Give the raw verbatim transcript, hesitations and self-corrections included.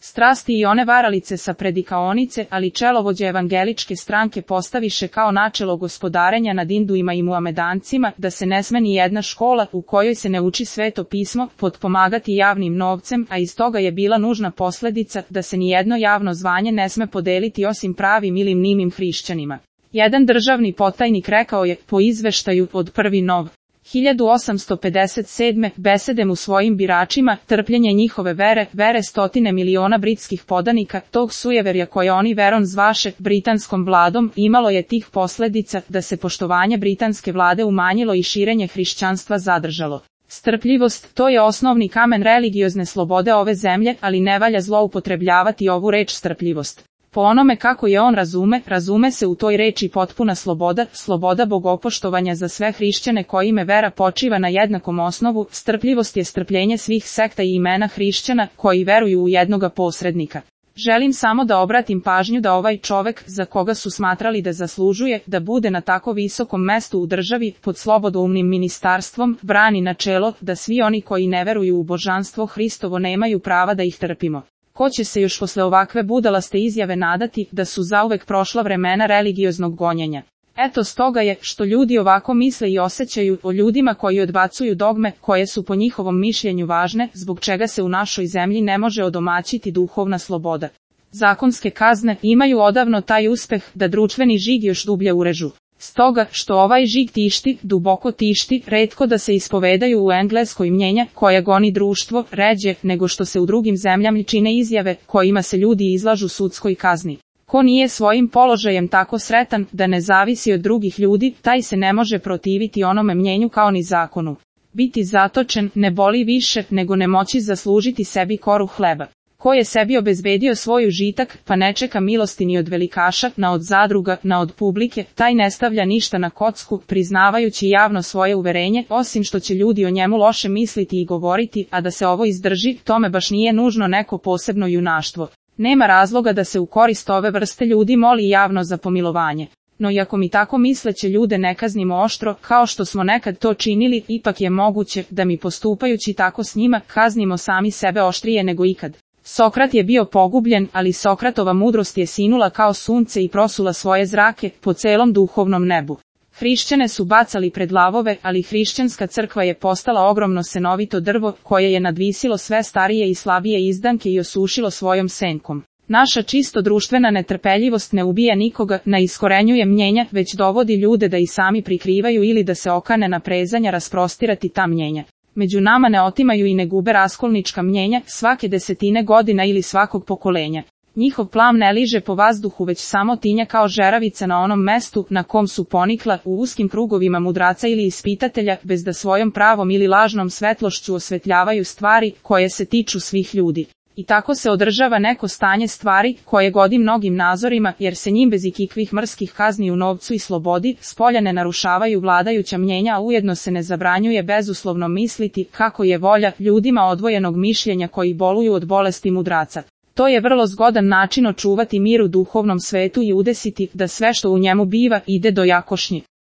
strasti i one varalice sa predikaonice, ali čelovođe evangeličke stranke postaviše kao načelo gospodarenja nad Induima i Muamedancima, da se ne sme ni jedna škola u kojoj se ne uči sveto pismo potpomagati javnim novcem, a iz toga je bila nužna posledica da se ni jedno javno zvanje ne sme podeliti osim pravim ili mnimim hrišćanima. Jedan državni potajnik rekao je, po izveštaju od prvi nov. hiljadu osamsto pedeset sedme. besedem u svojim biračima, trpljenje njihove vere, vere stotine miliona britskih podanika, tog sujeverja koje oni veron zvaše britanskom vladom, imalo je tih posledica da se poštovanje britanske vlade umanjilo i širenje hrišćanstva zadržalo. Strpljivost, to je osnovni kamen religiozne slobode ove zemlje, ali ne valja zloupotrebljavati ovu reč strpljivost. Po onome kako je on razume, razume se u toj reči potpuna sloboda, sloboda bogopoštovanja za sve hrišćane kojime vera počiva na jednakom osnovu. Strpljivost je strpljenje svih sekta i imena hrišćana koji veruju u jednoga posrednika. Želim samo da obratim pažnju da ovaj čovek, za koga su smatrali da zaslužuje da bude na tako visokom mestu u državi, pod slobodoumnim ministarstvom, brani načelo da svi oni koji ne veruju u božanstvo Hristovo nemaju prava da ih trpimo. Ko će se još posle ovakve budalaste izjave nadati da su zauvek prošla vremena religioznog gonjenja? Eto stoga je, što ljudi ovako misle i osjećaju o ljudima koji odbacuju dogme, koje su po njihovom mišljenju važne, zbog čega se u našoj zemlji ne može odomaćiti duhovna sloboda. Zakonske kazne imaju odavno taj uspeh da društveni žig još dublje urežu. Stoga, što ovaj žig tišti, duboko tišti, retko da se ispovedaju u Engleskoj mnjenja koja goni društvo, ređe, nego što se u drugim zemljama čine izjave kojima se ljudi izlažu sudskoj kazni. Ko nije svojim položajem tako sretan da ne zavisi od drugih ljudi, taj se ne može protiviti onome mnjenju kao ni zakonu. Biti zatočen ne boli više nego ne moći zaslužiti sebi koru hleba. Ko je sebi obezbedio svoj užitak, pa ne čeka milosti ni od velikaša, na od zadruga, na od publike, taj ne stavlja ništa na kocku, priznavajući javno svoje uverenje, osim što će ljudi o njemu loše misliti i govoriti, a da se ovo izdrži, tome baš nije nužno neko posebno junaštvo. Nema razloga da se u korist ove vrste ljudi moli javno za pomilovanje. No iako mi tako misleće ljude ne kaznimo oštro, kao što smo nekad to činili, ipak je moguće da mi postupajući tako s njima, kaznimo sami sebe oštrije nego ikad. Sokrat je bio pogubljen, ali Sokratova mudrost je sinula kao sunce i prosula svoje zrake po celom duhovnom nebu. Hrišćane su bacali pred lavove, ali hrišćanska crkva je postala ogromno senovito drvo, koje je nadvisilo sve starije i slabije izdanke i osušilo svojom senkom. Naša čisto društvena netrpeljivost ne ubija nikoga, ne iskorenjuje mnjenja, već dovodi ljude da i sami prikrivaju ili da se okane na prezanja rasprostirati ta mnjenja. Među nama ne otimaju i ne gube raskolnička mnjenja, svake desetine godina ili svakog pokolenja. Njihov plam ne liže po vazduhu već samo tinja kao žeravica na onom mestu na kom su ponikla, u uskim krugovima mudraca ili ispitatelja, bez da svojom pravom ili lažnom svetlošću osvetljavaju stvari koje se tiču svih ljudi. I tako se održava neko stanje stvari koje godi mnogim nazorima, jer se njim bez ikakvih mrskih kazni u novcu i slobodi spolja ne narušavaju vladajuća mnjenja, a ujedno se ne zabranjuje bezuslovno misliti kako je volja ljudima odvojenog mišljenja koji boluju od bolesti mudraca. To je vrlo zgodan način očuvati mir u duhovnom svetu i udesiti da sve što u njemu biva ide do jakošnje.